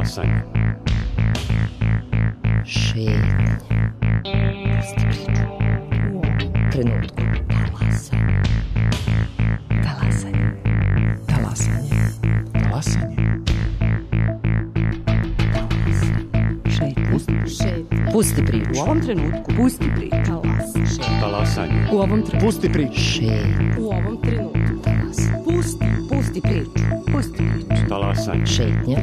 Talasanje. Šetnje. Pusti priču. U ovom trenutku. Talasanje. Talasanje. Talasanje. Šetnje. Pusti priču. U ovom trenutku. Pusti priču. Talasanje. U ovom trenutku. Pusti priču. Šetnje. U ovom trenutku. Pusti priču. Pusti priču. Talasanje. Šetnje.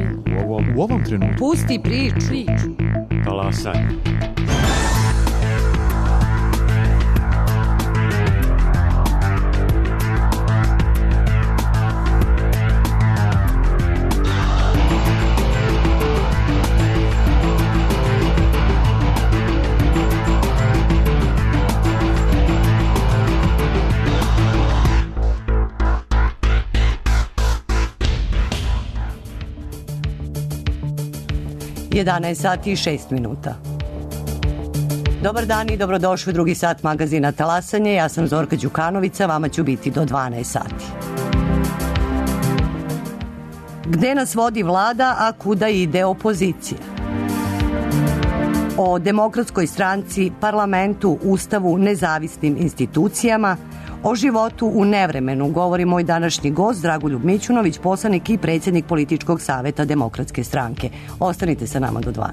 U ovom trenutku. Pusti priču. Talasanje. Jedanaest sati i 6 minuta. Dobar dan i dobrodošli u drugi sat magazina Talasanje. Ja sam Zorka Đukanovica, vama ću biti do 12 sati. Gde nas vodi vlada, a kuda ide opozicija? O Demokratskoj stranci, parlamentu, ustavu, nezavisnim institucijama, o životu u nevremenu govori moj današnji gost Dragoljub Mićunović, poslanik i predsjednik političkog saveta Demokratske stranke. Ostanite sa nama do 12.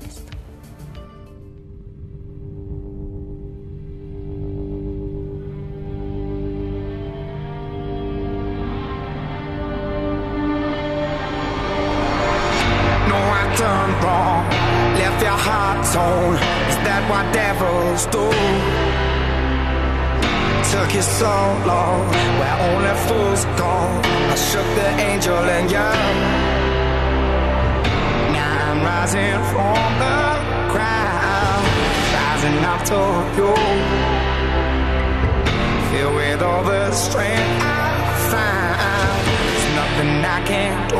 No, I done wrong, left your heart torn. Is that what devils do? Took you so long, where only fools go. I shook the angel in you. Now I'm rising from the crowd, rising up to you. Filled with all the strength I found, there's nothing I can't do.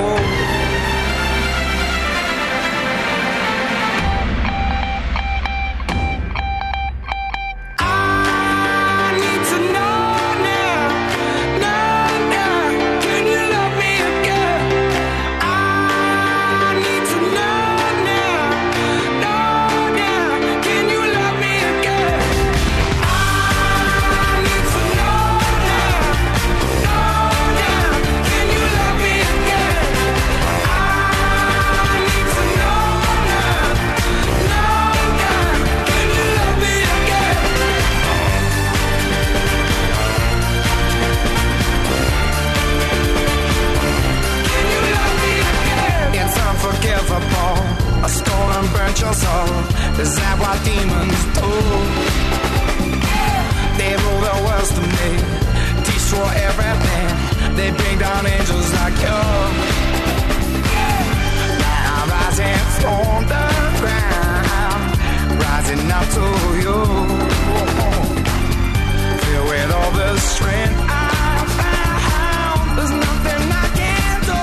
Your soul, is that what demons do? They rule the world to me, destroy everything. They bring down angels like you. Now I'm rising from the ground, rising up to you. Filled with all the strength I found, there's nothing I can't do.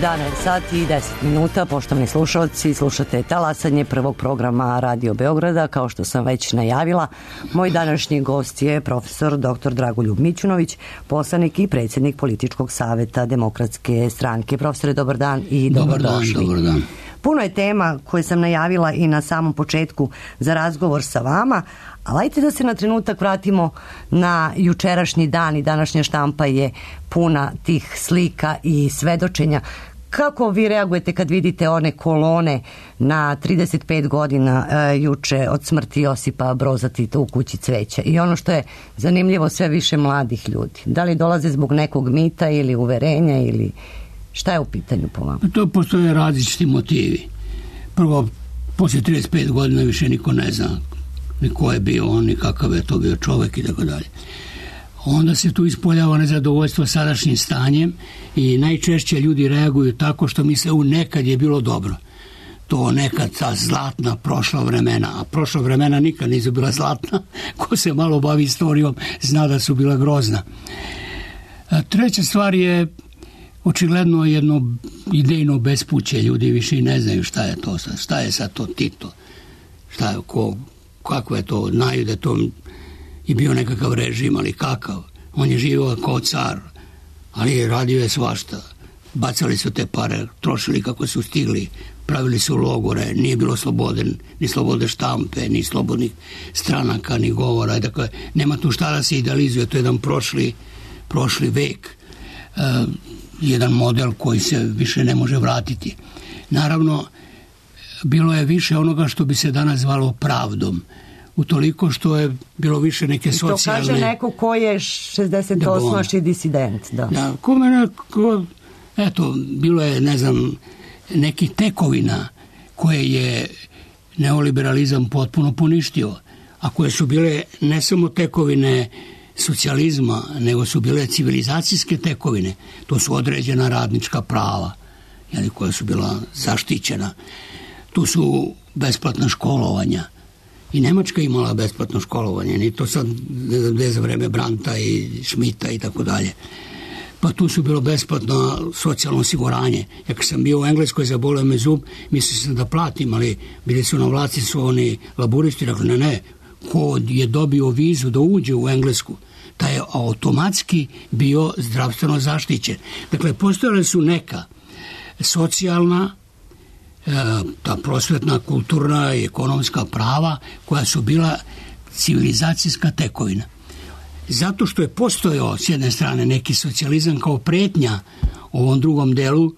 11 sati i 10 minuta, poštovani slušalci, slušate talasanje prvog programa Radio Beograda. Kao što sam već najavila, moj današnji gost je profesor dr. Dragoljub Mićunović, poslanik i predsjednik Političkog saveta Demokratske stranke. Profesore, dobar dan i dobrodošli. Dobar dan. Puno je tema koje sam najavila i na samom početku za razgovor sa vama, ali ajte da se na trenutak vratimo na jučerašnji dan i današnja štampa je puna tih slika i svedočenja. Kako vi reagujete kad vidite one kolone na 35 godina juče od smrti Josipa Broza Tita u kući cveća? I ono što je zanimljivo, sve više mladih ljudi. Da li dolaze zbog nekog mita ili uverenja ili šta je u pitanju po vama? To postoje različiti motivi. Prvo, poslije 35 godina više niko ne zna ni ko je bio on, ni kakav je to bio čovjek i tako dalje. Onda se tu ispoljava nezadovoljstvo sadašnjim stanjem i najčešće ljudi reaguju tako što misle nekad je bilo dobro. To nekad ta zlatna prošla vremena, a prošla vremena nikad nisu bila zlatna. Ko se malo bavi istorijom zna da su bila grozna. Treća stvar je očigledno jedno idejno bespuće. Ljudi više i ne znaju šta je to, šta je sad to Tito, šta je, kako je to, znaju da to i bio nekakav režim, ali kakav. On je živio kao car, ali radio je svašta. Bacali su te pare, trošili kako su stigli, pravili su logore, nije bilo slobode, ni slobode štampe, ni slobodnih stranaka, ni govora. Dakle, nema tu šta da se idealizuje, to je jedan prošli vek. Jedan model koji se više ne može vratiti. Naravno, bilo je više onoga što bi se danas zvalo pravdom. Utoliko što je bilo više neke socijalne... To kaže neko ko je 68. disident. Da, kome neko... Eto, bilo je, ne znam, nekih tekovina koje je neoliberalizam potpuno poništio, a koje su bile ne samo tekovine socijalizma, nego su bile civilizacijske tekovine. To su određena radnička prava, koja su bila zaštićena. Tu su besplatna školovanja. I Nemačka imala besplatno školovanje, ni to sad ne za vreme Brandta i Schmidta i tako dalje. Pa tu su bilo besplatno socijalno osiguranje. Ja kad sam bio u Engleskoj, zaboleo me zub, mislio sam da platim, ali bili su na vlasti su oni laburisti, rekli ne, ko je dobio vizu da uđe u Englesku, taj je automatski bio zdravstveno zaštićen. Dakle, postojale su neka socijalna, ta prosvetna, kulturna i ekonomska prava koja su bila civilizacijska tekovina. Zato što je postojao s jedne strane neki socijalizam kao pretnja ovom drugom delu,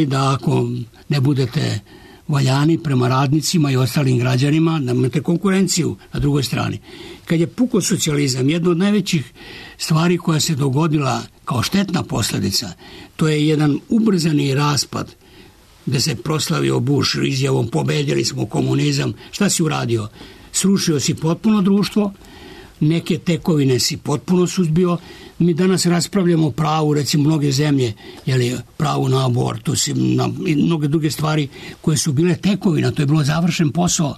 da ako ne budete valjani prema radnicima i ostalim građanima, da imate konkurenciju na drugoj strani. Kad je pukao socijalizam, jedna od najvećih stvari koja se dogodila kao štetna posljedica, to je jedan ubrzani raspad gde se proslavio Bush izjavom pobedili smo komunizam. Šta si uradio? Srušio si potpuno društvo, neke tekovine si potpuno suzbio. Mi danas raspravljamo o pravu, recimo mnoge zemlje, pravu na abortus i mnoge druge stvari koje su bile tekovina, to je bilo završen posao.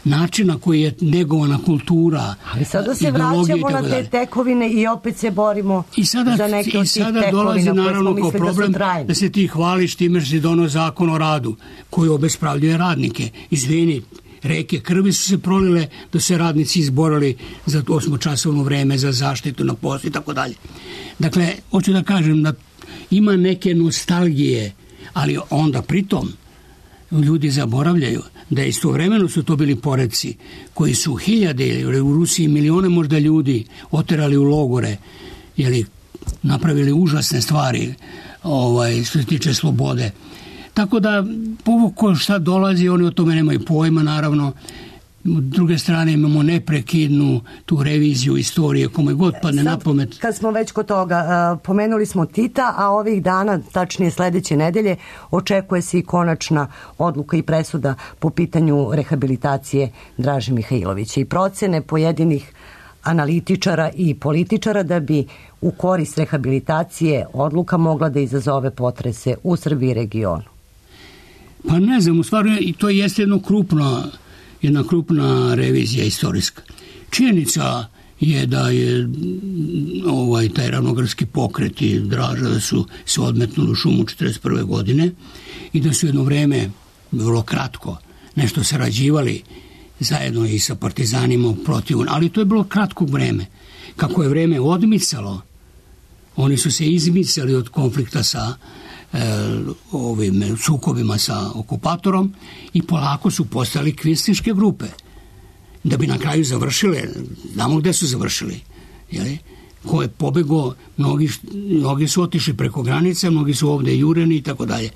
Način na koji je negovana kultura. Ali sada se vraćamo na te tekovine i opet se borimo za neke od tih tekovina dolazi naravno kao problem da se ti hvališ time što si donio zakon o radu koji obespravljuje radnike. Izvini, reke krvi su se prolile da se radnici izborili za 8-časovno vreme, za zaštitu na poslu i tako dalje. Dakle, hoću da kažem da ima neke nostalgije, ali onda pritom ljudi zaboravljaju da istovremeno su to bili poredci koji su hiljade, u Rusiji milione možda ljudi oterali u logore, napravili užasne stvari što se tiče slobode. Tako da, povoko šta dolazi, oni o tome nemaju pojma, naravno. S druge strane imamo neprekidnu tu reviziju istorije, kome god padne na pamet. Kad smo već kod toga, pomenuli smo Tita, a ovih dana, tačnije sledeće nedelje, očekuje se i konačna odluka i presuda po pitanju rehabilitacije Draže Mihajlovića i procene pojedinih analitičara i političara da bi u korist rehabilitacije odluka mogla da izazove potrese u Srbiji i regionu. Pa ne znam, u stvari to jeste jedna krupna revizija istorijska. Činjenica je da je taj ravnogradski pokret i Draža da su se odmetnuli u šumu 1941. godine i da su jedno vreme, vrlo kratko, nešto sarađivali zajedno i sa partizanima protiv, ali to je bilo kratko vreme. Kako je vreme odmicalo, oni su se izmicali od konflikta sa ovim sukobima sa okupatorom i polako su postali kvinslinške grupe. Da bi na kraju završile, znamo gde su završili, jeli? Ko je pobegao, mnogi su otišli preko granice, mnogi su ovde jureni i tako dalje.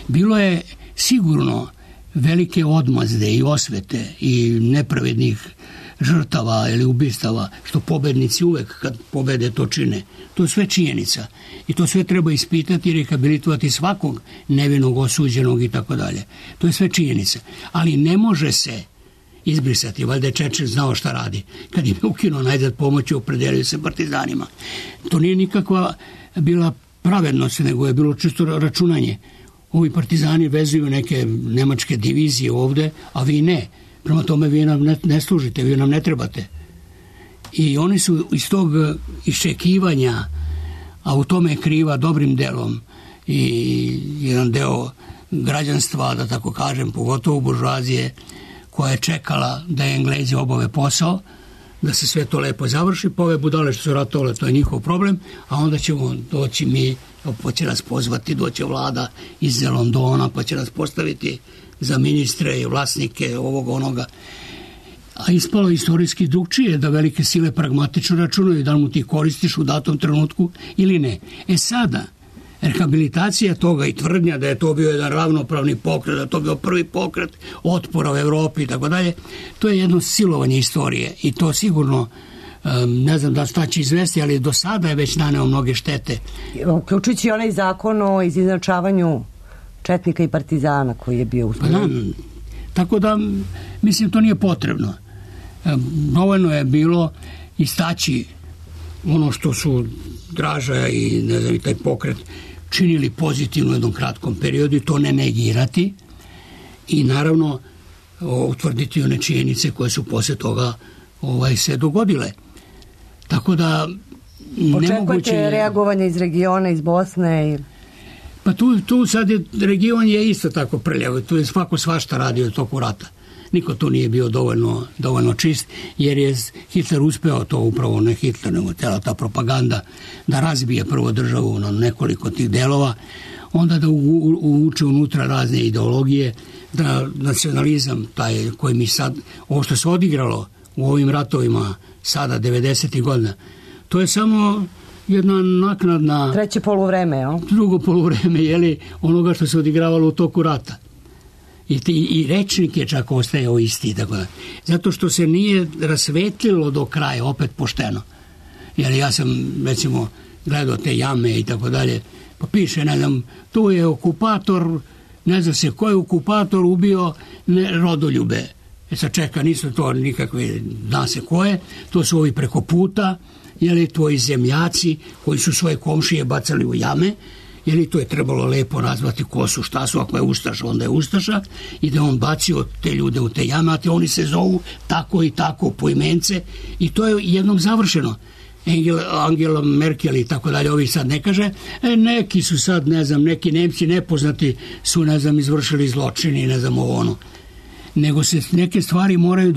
Bilo je sigurno velike odmazde i osvete i nepravednih žrtava ili ubistava, što pobednici uvek kad pobede to čine. To je sve činjenica i to sve treba ispitati i rehabilitovati svakog nevinog, osuđenog i tako dalje. To je sve činjenica. Ali ne može se izbrisati. Valjda je Čečer znao šta radi. Kad im je ukinuo najzad pomoći, opredelio se partizanima. To nije nikakva bila pravednost, nego je bilo čisto računanje. Ovi partizani vezuju neke nemačke divizije ovde, a vi ne. Prema tome vi nam ne služite, vi nam ne trebate. I oni su iz tog iščekivanja, a u tome je kriva dobrim delom i jedan deo građanstva, da tako kažem, pogotovo buržoazije, koja je čekala da Englezi obave posao, da se sve to lepo završi, pa ove budale što su ratovale, to je njihov problem, a onda ćemo doći mi, pa će nas pozvati, doće vlada iz Londona, pa će nas postaviti za ministre i vlasnike ovog onoga. A ispalo istorijski drugčije da velike sile pragmatično računaju da mu ti koristiš u datom trenutku ili ne. Sada, rehabilitacija toga i tvrdnja da je to bio jedan ravnopravni pokret, da je to bio prvi pokret otpora u Evropi i tako dalje, to je jedno silovanje istorije i to sigurno, ne znam šta će izvesti, ali do sada je već naneo mnoge štete. Uključujući onaj zakon o izjednačavanju četnika i partizana koji je bio usvojen. Tako da, mislim, to nije potrebno. Dovoljno je bilo istaći ono što su Draža i, ne znam, i taj pokret činili pozitivno u jednom kratkom periodu i to ne negirati i naravno utvrditi one činjenice koje su posle toga se dogodile. Tako da očekujete reagovanje iz regiona, iz Bosne? Pa tu sad region je isto tako prljav, tu je svako svašta radio u toku rata. Niko tu nije bio dovoljno čist, jer je Hitler uspeo to upravo, ne Hitler, nego cela ta propaganda, da razbije prvo državu na nekoliko tih delova, onda da uvuče unutra razne ideologije, da nacionalizam, taj koji mi sad, ovo što se odigralo u ovim ratovima sada, 90. godina, to je samo jedna naknadna... Treće poluvreme, jel? Drugo poluvreme, jeli, onoga što se odigravalo u toku rata. I rečnik je čak ostajao isti. Tako da. Zato što se nije rasvetlilo do kraja, opet pošteno. Jer ja sam, recimo, gledao te jame i tako dalje, pa piše, ne znam, tu je okupator, ne zna se ko je okupator ubio rodoljube. Sad čeka, nisu to nikakve, zna se ko je, to su ovi preko puta, jeli, tvoji zemljaci koji su svoje komšije bacali u jame, jeli, to je trebalo lepo nazvati ko su, šta su, ako je ustaša, onda je ustaša, i da on bacio te ljude u te jame, a te oni se zovu tako i tako poimence, i to je jednom završeno. Angela Merkel i tako dalje, ovi sad ne kaže, neki su sad, ne znam, neki Nemci nepoznati su, ne znam, izvršili zločini, ne znam, ovo ono. Nego se neke stvari moraju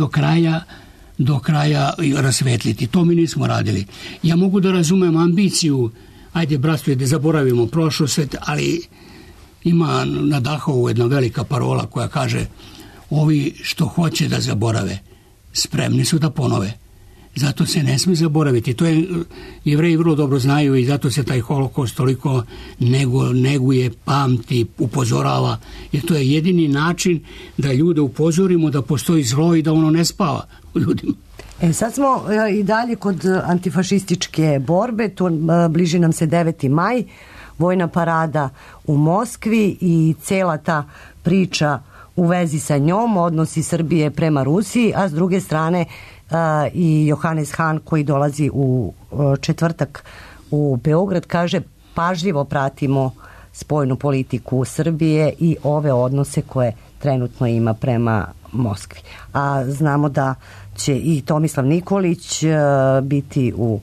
do kraja rasvetliti. To mi nismo radili. Ja mogu da razumem ambiciju, ajde, bratstvo, da zaboravimo prošlost, ali ima na Dahovu jedna velika parola koja kaže, ovi što hoće da zaborave, spremni su da ponove. Zato se ne sme zaboraviti. To je Jevreji vrlo dobro znaju i zato se taj holokaust toliko neguje, pamti, upozorava. Jer to je jedini način da ljude upozorimo da postoji zlo i da ono ne spava u ljudima. Sad smo i dalje kod antifašističke borbe. Tu bliži nam se 9. maj, vojna parada u Moskvi i cela ta priča u vezi sa njom, odnosi Srbije prema Rusiji, a s druge strane i Johannes Hahn koji dolazi u četvrtak u Beograd, kaže, pažljivo pratimo spoljnu politiku Srbije i ove odnose koje trenutno ima prema Moskvi. A znamo da će i Tomislav Nikolić biti u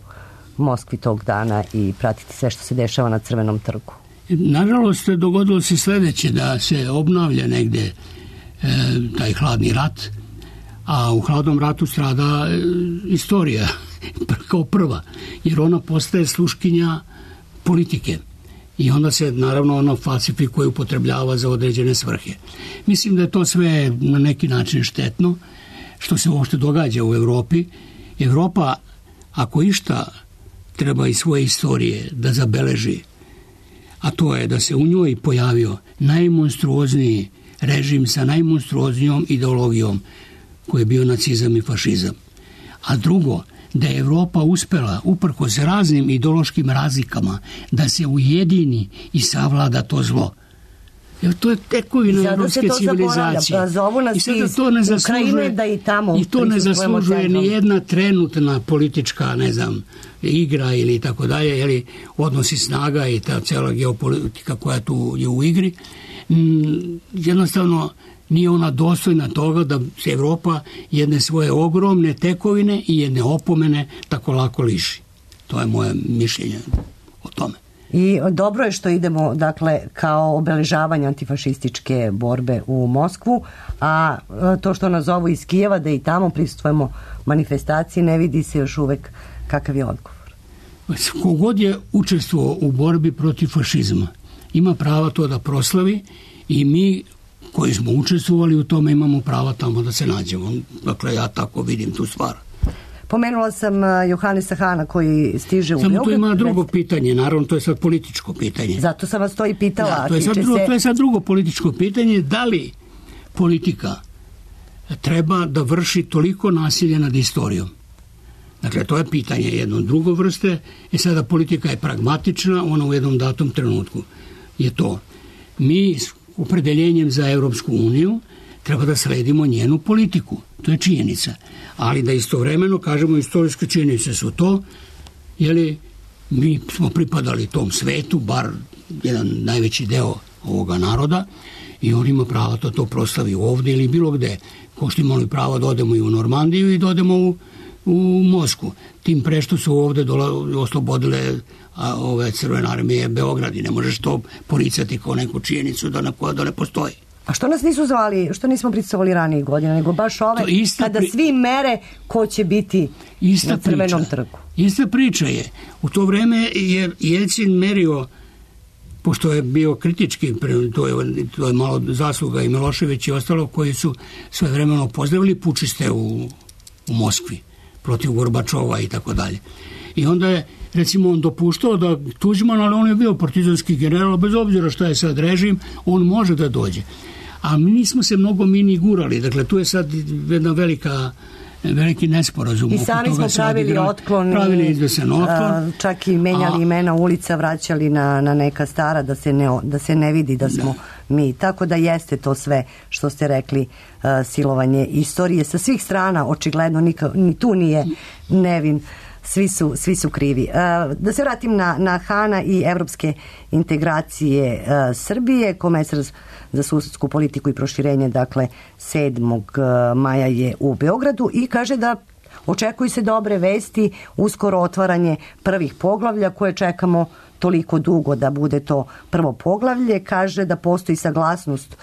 Moskvi tog dana i pratiti sve što se dešava na Crvenom trgu. Nažalost, dogodilo se sledeće, da se obnavlja negde taj hladni rat, a u hladnom ratu strada istorija kao prva, jer ona postaje sluškinja politike i onda se naravno ona falsifikuje, upotrebljava za određene svrhe. Mislim da je to sve na neki način štetno što se uopšte događa u Evropi. Evropa, ako išta treba iz svoje istorije da zabeleži, a to je da se u njoj pojavio najmonstruozniji režim sa najmonstruoznijom ideologijom koji je bio nacizam i fašizam. A drugo, da je Evropa uspela, uprkos raznim ideološkim razlikama, da se ujedini i savlada to zlo. Jer to je tekovina evropske civilizacije. I sada to ne zaslužuje, da i tamo i to ne zaslužuje ni jedna trenutna politička, ne znam, igra ili tako dalje, ili odnosi snaga i ta cela geopolitika koja tu je u igri. Jednostavno nije ona dostojna toga da se Evropa jedne svoje ogromne tekovine i jedne opomene tako lako liši. To je moje mišljenje o tome. I dobro je što idemo, dakle, kao obeležavanje antifašističke borbe u Moskvu, a to što nas zovu iz Kijeva, da i tamo prisustvujemo manifestaciji, ne vidi se još uvek kakav je odgovor. Kogod je učestvovao u borbi protiv fašizma ima prava to da proslavi i mi koji smo učestvovali u tome imamo prava tamo da se nađemo. Dakle, ja tako vidim tu stvar. Pomenula sam Johanesa Hana koji stiže u Beograd. Samo tu ima drugo pitanje, naravno to je sad političko pitanje. Zato sam vas to i pitala. Da, to je sad drugo političko pitanje, da li politika treba da vrši toliko nasilje nad istorijom. Dakle, to je pitanje jedno drugo vrste i sada politika je pragmatična, ona u jednom datom trenutku je to. Mi s opredeljenjem za Evropsku uniju treba da sledimo njenu politiku. To je činjenica. Ali da istovremeno kažemo istorijske činjenice su to, jeli mi smo pripadali tom svetu, bar jedan najveći deo ovoga naroda i on ima pravo da to proslavi ovde ili bilo gde. Ko što imali pravo da odemo i u Normandiju i da odemo u Moskvu. Tim pre što su ovde oslobodile ove Crvene armije Beograd i ne možeš to poricati kao neku činjenicu da ne postoji. A što nas nisu zvali, što nismo prisustvovali ranijih godina, nego baš ove, kada svi mere ko će biti na Crvenom trgu? Ista priča je. U to vreme je Jelcin merio, pošto je bio kritički, to je malo zasluga i Milošević i ostalo, koji su sve vremeno pozdravili pučiste u Moskvi protiv Gorbačova i tako dalje. I onda je, recimo, on dopuštao da Tuđman, ali on je bio partizanski general, bez obzira šta je sad režim, on može da dođe. A mi nismo se mnogo ni gurali, dakle tu je sad jedna veliki nesporazum. I sami smo pravili otklon, čak i menjali imena ulica, vraćali na neka stara da se ne vidi da smo mi. Tako da jeste to sve što ste rekli, silovanje istorije sa svih strana, očigledno ni tu nije nevin. Svi su krivi. Da se vratim na Hana i evropske integracije Srbije. Komesar za susedsku politiku i proširenje, dakle 7. maja je u Beogradu i kaže da očekuju se dobre vesti, uskoro otvaranje prvih poglavlja koje čekamo toliko dugo da bude to prvo poglavlje. Kaže da postoji saglasnost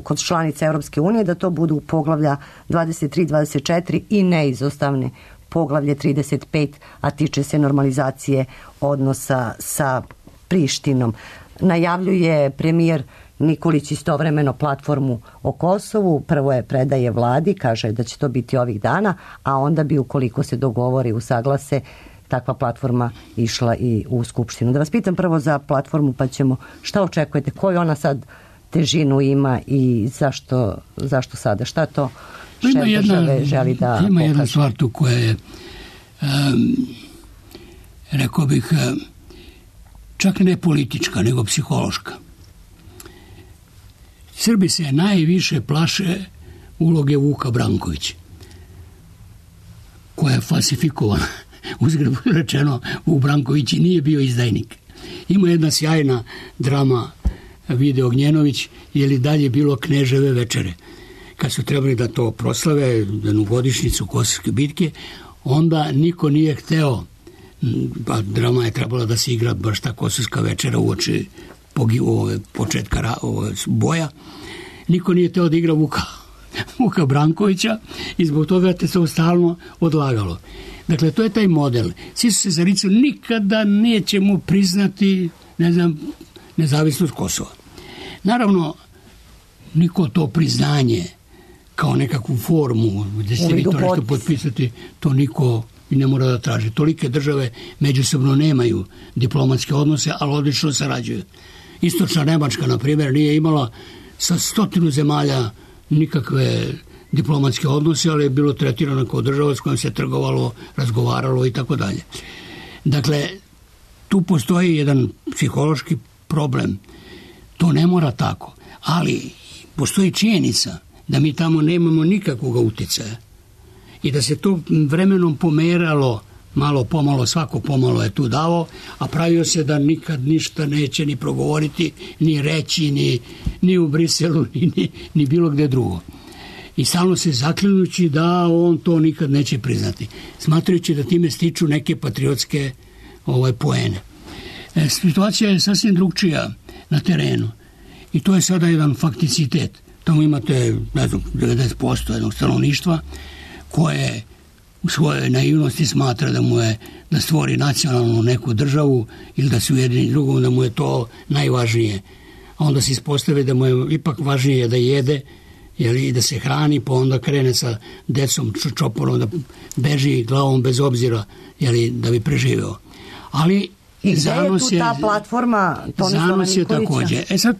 kod članica Evropske unije da to budu poglavlja 23, 24 i neizostavne poglavlje 35, a tiče se normalizacije odnosa sa Prištinom. Najavljuje premijer Nikolić istovremeno platformu o Kosovu. Prvo je predaje vladi, kaže da će to biti ovih dana, a onda bi, ukoliko se dogovori, usaglase, takva platforma išla i u Skupštinu. Da vas pitam prvo za platformu, pa ćemo, šta očekujete, koju ona sad težinu ima i zašto sada, šta to šef države želi da pokaže? Ima jedna stvar tu koja je, rekao bih, čak ne politička, nego psihološka. Srbi se najviše plaše uloge Vuka Brankovića, koja je falsifikovana. Uzgred rečeno, Vuk Branković nije bio izdajnik. Ima jedna sjajna drama Vide Ognjenović, je li dalje bilo Kneževe večere, kad su trebali da to proslave, jednu godišnjicu Kosovske bitke, onda niko nije hteo, pa drama je trebala da se igra baš ta Kosovska večera uoči početka boja, niko nije hteo da igra Vuka Brankovića i zbog toga te se stalno odlagalo. Dakle, to je taj model. Svi su se zaricali, nikada nećemo priznati, nezavisnost Kosova. Naravno, niko to priznanje kao nekakvu formu gde ste vi to nešto potpisati, to niko i ne mora da traži. Tolike države međusobno nemaju diplomatske odnose, ali odlično sarađuju. Istočna Nemačka, na primjer, nije imala sa 100 zemalja nikakve diplomatske odnose, ali je bilo tretirano kao država s kojom se trgovalo, razgovaralo i tako dalje. Dakle, tu postoji jedan psihološki problem. To ne mora tako, ali postoji činjenica da mi tamo nemamo nikakvog uticaja i da se to vremenom pomeralo, malo pomalo, svako pomalo je tu davo, a pravio se da nikad ništa neće ni progovoriti, ni reći, ni u Briselu, ni bilo gde drugo. I stalno se zaklinući da on to nikad neće priznati, smatrajući da time stiču neke patriotske poene. Situacija je sasvim drugčija na terenu i to je sada jedan fakticitet. Tamo imate, 90% jednog stanovništva koje u svojoj naivnosti smatra da stvori nacionalnu neku državu ili da se ujedini drugom, da mu je to najvažnije. A onda se ispostavi da mu je ipak važnije da jede i da se hrani, pa onda krene sa decom čoporom da beži glavom bez obzira da bi preživeo. Ali i gde je tu ta platforma Tomislava Nikolića? Takođe. Sad,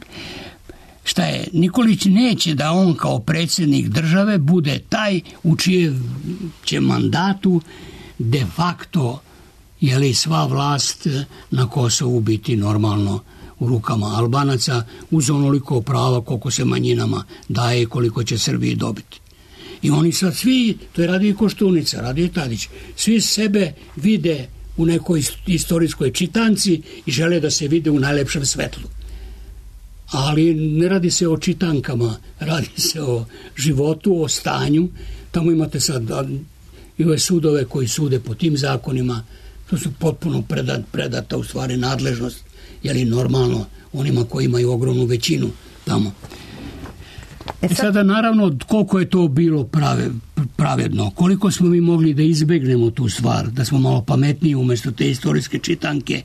šta je? Nikolić neće da on kao predsjednik države bude taj u čijem će mandatu de facto sva vlast na Kosovu biti normalno u rukama Albanaca uz onoliko prava koliko se manjinama daje i koliko će Srbiji dobiti. I oni sad svi, to je radio i Koštunica, radio i Tadić, svi sebe vide u nekoj istorijskoj čitanci i žele da se vide u najlepšem svetlu. Ali ne radi se o čitankama, radi se o životu, o stanju. Tamo imate sad i ove sudove koji sude po tim zakonima, to su potpuno predata u stvari nadležnost, normalno onima koji imaju ogromnu većinu tamo. Sada naravno koliko je to bilo pravedno, koliko smo mi mogli da izbegnemo tu stvar, da smo malo pametniji umesto te istorijske čitanke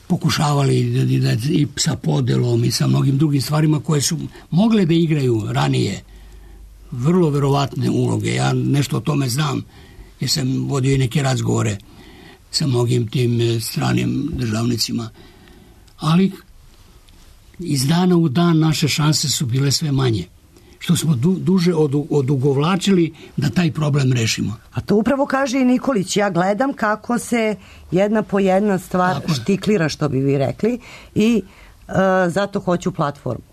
pokušavali i sa podelom i sa mnogim drugim stvarima koje su mogle da igraju ranije vrlo verovatne uloge. Ja nešto o tome znam jer sam vodio i neke razgovore sa mnogim tim stranim državnicima. Ali iz dana u dan naše šanse su bile sve manje. Što smo duže odugovlačili da taj problem rešimo. A to upravo kaže i Nikolić. Ja gledam kako se jedna po jedna stvar štiklira, što bi vi rekli, i zato hoću platformu.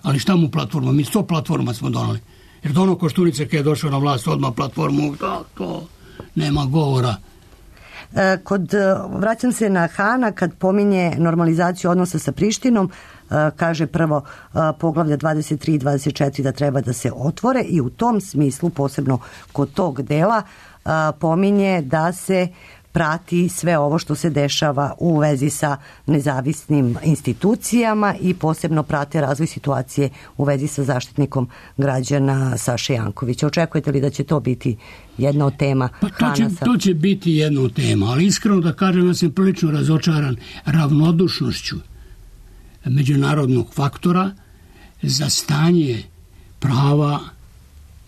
Ali šta mu platforma? Mi 100 platforma smo donali. Jer dono Koštunica kad je došao na vlast odmah platformu, to nema govora. Vraćam se na Hana kad pominje normalizaciju odnosa sa Prištinom, kaže prvo poglavlja 23 i 24 da treba da se otvore i u tom smislu, posebno kod tog dela, pominje da se prati sve ovo što se dešava u vezi sa nezavisnim institucijama i posebno prate razvoj situacije u vezi sa zaštitnikom građana Saše Jankovića. Očekujete li da će to biti jedna od tema? To će biti jedna od tema, ali iskreno da kažem da sam prilično razočaran ravnodušnošću međunarodnog faktora za stanje prava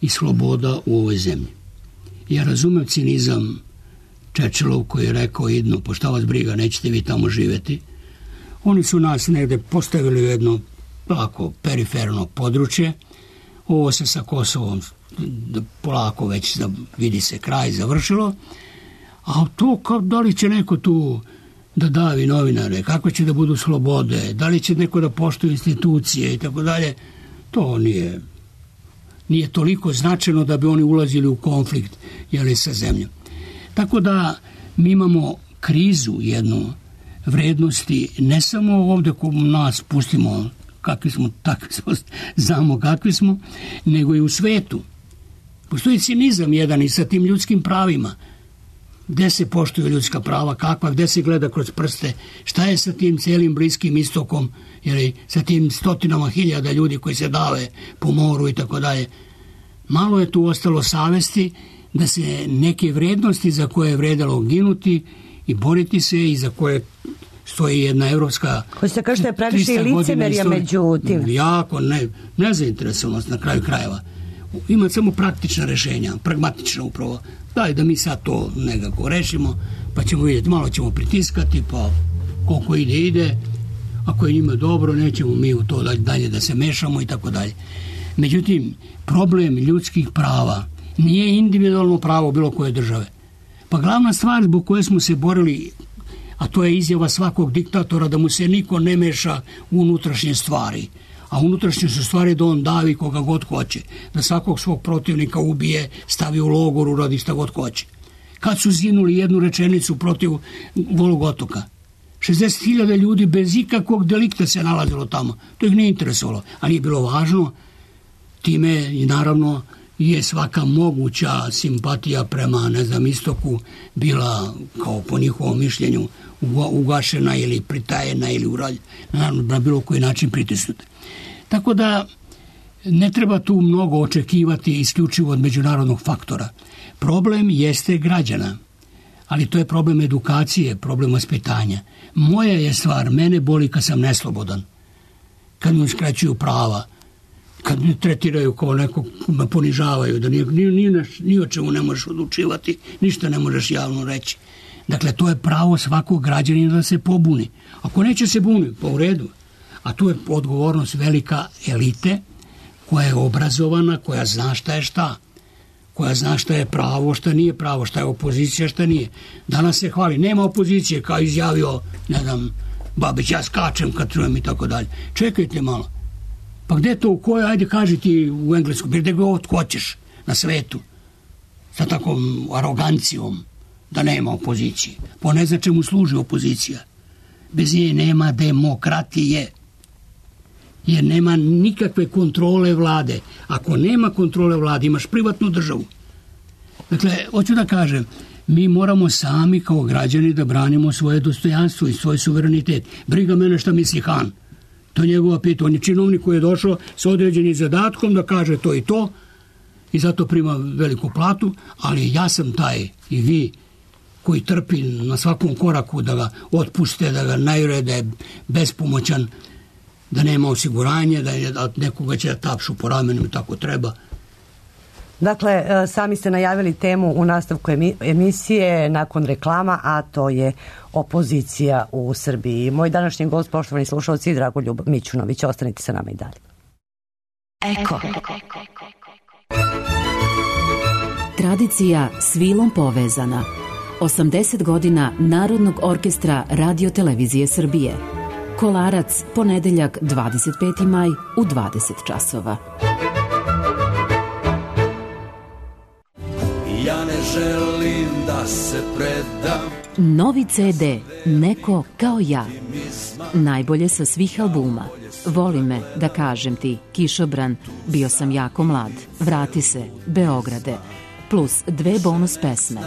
i sloboda u ovoj zemlji. Ja razumem cinizam Čečelov koji je rekao idno, pošto vas briga, nećete vi tamo živeti. Oni su nas negde postavili u jedno polako periferno područje. Ovo se sa Kosovom polako već vidi se kraj završilo. A to da li će neko tu da davi novinare, kako će da budu slobode, da li će neko da poštuje institucije i tako dalje, to nije toliko značajno da bi oni ulazili u konflikt sa zemljom. Tako da mi imamo krizu jednu vrednosti, ne samo ovde ko nas pustimo kakvi smo, takvi smo, znamo kakvi smo, nego i u svetu. Postoji cinizam jedan i sa tim ljudskim pravima. Gde se poštuju ljudska prava, kakva, gde se gleda kroz prste, šta je sa tim cijelim Bliskim istokom, jer sa tim stotinama hiljada ljudi koji se dave po moru i tako dalje. Malo je tu ostalo savesti da se neke vrednosti za koje je vredalo ginuti i boriti se i za koje stoji jedna evropska... Ko se kaže da je previše licemerja među tim? Jako, nezainteresovanost na kraju krajeva. Ima samo praktična rešenja, pragmatična upravo. Daj da mi sad to nekako rešimo, pa ćemo vidjeti, malo ćemo pritiskati, pa koliko ide. Ako je njima dobro, nećemo mi u to dalje da se mešamo i tako dalje. Međutim, problem ljudskih prava nije individualno pravo bilo koje države. Pa glavna stvar zbog koje smo se borili, a to je izjava svakog diktatora da mu se niko ne meša u unutrašnje stvari. A unutrašnje su stvari da on davi koga god hoće, da svakog svog protivnika ubije, stavi u logor, uradi šta god hoće. Kad su zinuli jednu rečenicu protiv Golog otoka, 60.000 ljudi bez ikakvog delikta se nalazilo tamo. To ih nije interesovalo, a nije bilo važno. Time i naravno je svaka moguća simpatija prema, istoku bila, kao po njihovom mišljenju, ugašena ili pritajena ili na bilo koji način pritisnuta. Tako da ne treba tu mnogo očekivati isključivo od međunarodnog faktora. Problem jeste građana, ali to je problem edukacije, problem vaspitanja. Moja je stvar, mene boli kad sam neslobodan, kad mi uskraćuju prava, kad me tretiraju kao nekog, me ponižavaju, da ni o čemu ne možeš odlučivati, ništa ne možeš javno reći. Dakle, to je pravo svakog građanina da se pobuni. Ako neće se buni, pa u redu. A tu je odgovornost velika elite, koja je obrazovana, koja zna šta je šta. Koja zna šta je pravo, šta nije pravo, šta je opozicija, šta nije. Danas se hvali, nema opozicije, kao izjavio, Babić, ja skačem kad trujem i tako dalje. Čekajte malo. Pa gde to, u kojoj, ajde kaži ti u englesku, gde god hoćeš na svetu, sa takvom arogancijom, da nema opozicije. Po ne zna čemu služi opozicija. Bez nje nema demokratije. Jer nema nikakve kontrole vlade. Ako nema kontrole vlade, imaš privatnu državu. Dakle, hoću da kažem, mi moramo sami kao građani da branimo svoje dostojanstvo i svoj suverenitet. Briga mene šta misli Han. To je njegova pitanja. On je činovnik koji je došao sa određenim zadatkom da kaže to i to i zato prima veliku platu, ali ja sam taj i vi koji trpi na svakom koraku da ga otpuste, da ga najure, da je bespomoćan, da nema osiguranje, da nekoga će da tapšu po ramenu i tako treba. Dakle, sami ste najavili temu u nastavku emisije nakon reklama, a to je opozicija u Srbiji. Moj današnji gost, poštovani slušalci, Dragoljub Mićunović. Ostanite sa nama i dalje. Eko. Tradicija s vilom povezana. 80 godina Narodnog orkestra Radio-televizije Srbije. Kolarac, ponedeljak 25. maj u 20 časova. Ja ne želim da se predam. Novi CD Neko kao ja. Najbolje sa svih albuma. Voli me, da kažem ti, Kišobran, Bio sam jako mlad, Vrati se, Beograde, plus 2 bonus pesme.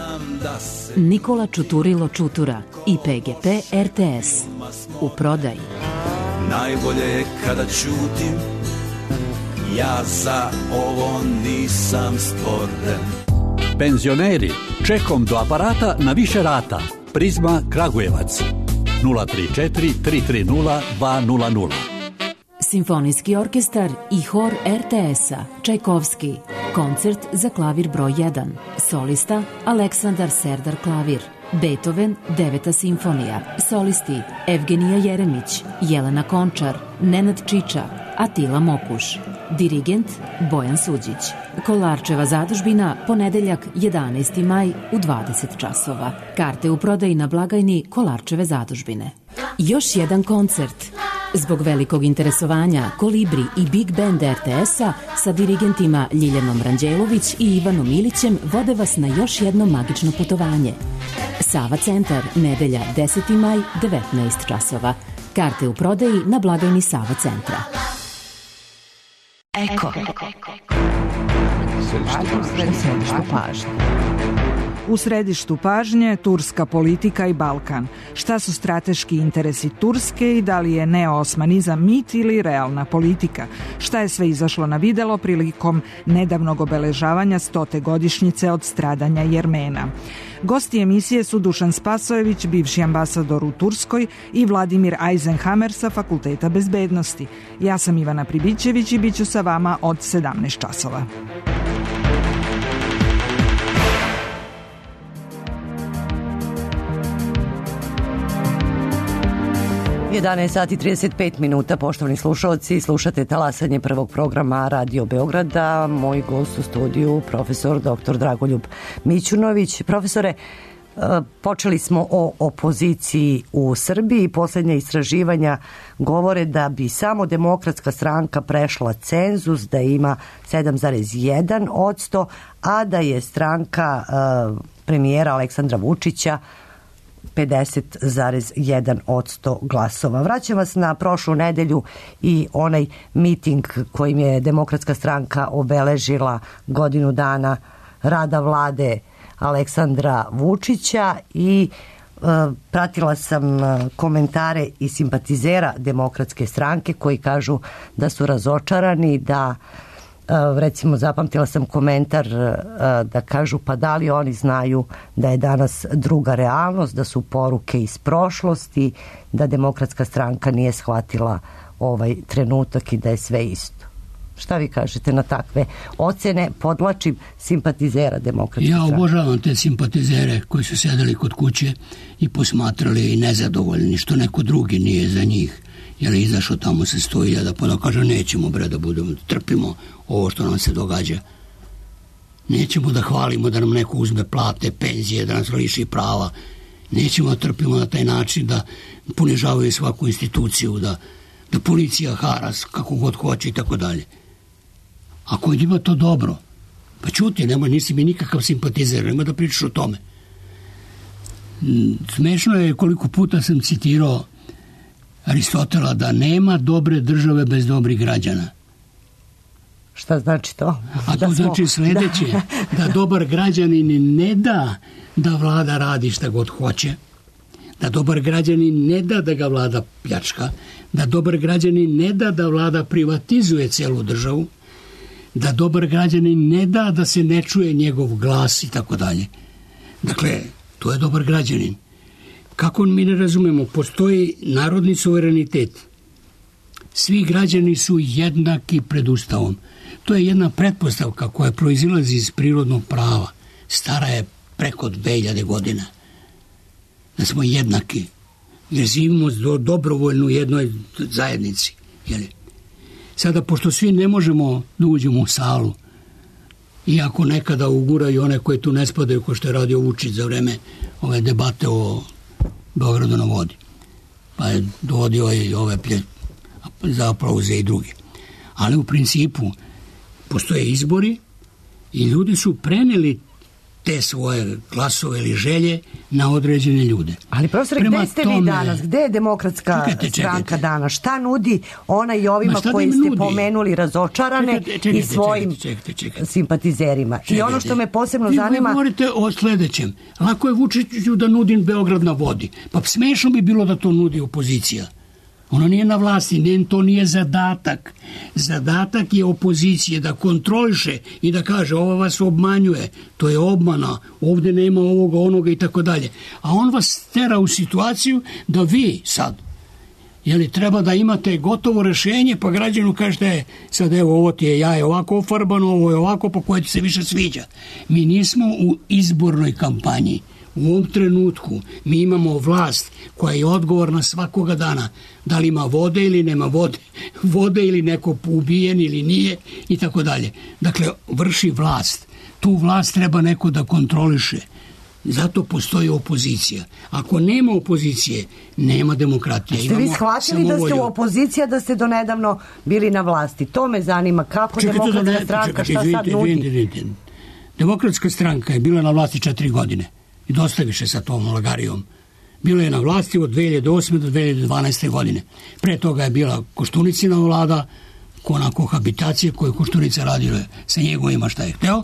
Nikola Čuturilo Čutura i PGP RTS. U prodaji. Najbolje je kada ćutim, ja za ovo nisam stvoren. Penzioneri, čekom do aparata na više rata. Prizma Kragujevac 034 330 200. Simfonijski orkestar i hor RTS-a Čajkovski. Koncert za klavir broj 1. Solista Aleksandar Serdar klavir. Beethoven 9. simfonija. Solisti Evgenija Jeremić, Jelena Končar, Nenad Čiča, Atila Mokuš. Dirigent Bojan Suđić. Kolarčeva zadužbina, ponedeljak 11. maj u 20 časova. Karte u prodaji na blagajni Kolarčeve zadužbine. Još jedan koncert. Zbog velikog interesovanja Kolibri i Big Band RTS-a sa dirigentima Ljiljanom Ranđelović i Ivanom Ilićem vode vas na još jedno magično putovanje. Sava centar, nedelja 10. maj, 19 časova. Karte u prodaji na blagajni Sava centra. Eko. U središtu pažnje turska politika i Balkan. Šta su strateški interesi Turske i da li je neoosmanizam mit ili realna politika? Šta je sve izašlo na videlo prilikom nedavnog obeležavanja 100. godišnjice od stradanja Jermena? Gosti emisije su Dušan Spasojević, bivši ambasador u Turskoj, i Vladimir Eisenhammer sa Fakulteta bezbednosti. Ja sam Ivana Pribićević i bit ću sa vama od 17 časova. 11 sati 35 minuta, poštovani slušalci, slušate talasanje prvog programa Radio Beograda. Moj gost u studiju, profesor dr. Dragoljub Mićunović. Profesore, počeli smo o opoziciji u Srbiji. Poslednja istraživanja govore da bi samo Demokratska stranka prešla cenzus, da ima 7,1%, a da je stranka premijera Aleksandra Vučića 50,1% glasova. Vraćam vas na prošlu nedelju i onaj miting kojim je Demokratska stranka obeležila godinu dana rada vlade Aleksandra Vučića i pratila sam komentare i simpatizera Demokratske stranke koji kažu da su razočarani, da recimo zapamtila sam komentar da kažu pa da li oni znaju da je danas druga realnost, da su poruke iz prošlosti, da Demokratska stranka nije shvatila ovaj trenutak i da je sve isto. Šta vi kažete na takve ocene, podlačim, simpatizera Demokratske stranke? Ja obožavam te simpatizere koji su sedeli kod kuće i posmatrali i nezadovoljni što neko drugi nije za njih. Jer je izašao tamo se 100.000, pa da kaže nećemo bre da budemo, trpimo ovo što nam se događa. Nećemo da hvalimo da nam neko uzme plate, penzije, da nas liši prava. Nećemo da trpimo na taj način da ponižavaju svaku instituciju, da policija hara kako god hoće i tako dalje. Ako je njima to dobro, pa čuti, nisi mi nikakav simpatizer, nema da pričaš o tome. Smešno je koliko puta sam citirao Aristotela da nema dobre države bez dobrih građana. Šta znači to? A to znači sledeće, da dobar građanin ne da da vlada radi šta god hoće, da dobar građanin ne da da ga vlada pljačka, da dobar građanin ne da da vlada privatizuje celu državu, da dobar građanin ne da da se ne čuje njegov glas i tako dalje. Dakle, to je dobar građanin. Kako mi ne razumemo, postoji narodni suverenitet. Svi građani su jednaki pred Ustavom. To je jedna pretpostavka koja proizilazi iz prirodnog prava. Stara je preko 2000 godina. Da smo jednaki. Jer živimo dobrovoljno u jednoj zajednici. Sada, pošto svi ne možemo da uđemo u salu, iako nekada uguraju one koje tu ne spadaju, ko što je radio Vučić za vreme ove debate o Beogradu na vodi, pa je dovodio i ove za aplauze i drugi. Ali u principu postoje izbori i ljudi su preneli te svoje glasove ili želje na određene ljude. Ali profesor, gde ste vi danas? Gde je Demokratska stranka danas? Šta nudi ona i ovima koji ste pomenuli razočarane i svojim simpatizerima? I ono što me posebno zanima... Vi govorite o sledećem. Lako je Vučiću da nudim Beograd na vodi. Pa smešno bi bilo da to nudi opozicija. Ona nije na vlasti, to nije zadatak. Zadatak je opozicije da kontroliše i da kaže ovo vas obmanjuje, to je obmana, ovde nema ovoga, onoga i tako dalje. A on vas tera u situaciju da vi sad, treba da imate gotovo rešenje, pa građanu kažete sad evo ovo ti je jaje ovako ofarbano, ovo je ovako, pa koje ti se više sviđa. Mi nismo u izbornoj kampanji. U ovom trenutku mi imamo vlast koja je odgovorna svakoga dana. Da li ima vode ili nema vode ili neko ubijen ili nije i tako dalje. Dakle, vrši vlast. Tu vlast treba neko da kontroliše. Zato postoji opozicija. Ako nema opozicije, nema demokratije. Ste vi shvatili da ste u opoziciji, da ste donedavno bili na vlasti? To me zanima. Kako Demokratska stranka, šta sad nudi? Demokratska stranka je bila na vlasti 4 godine. I dosta više sa tom lagarijom. Bilo je na vlasti od 2008. do 2012. godine. Pre toga je bila Koštunicina vlada, na kohabitacije koje Koštunica radila sa njegovima šta je hteo.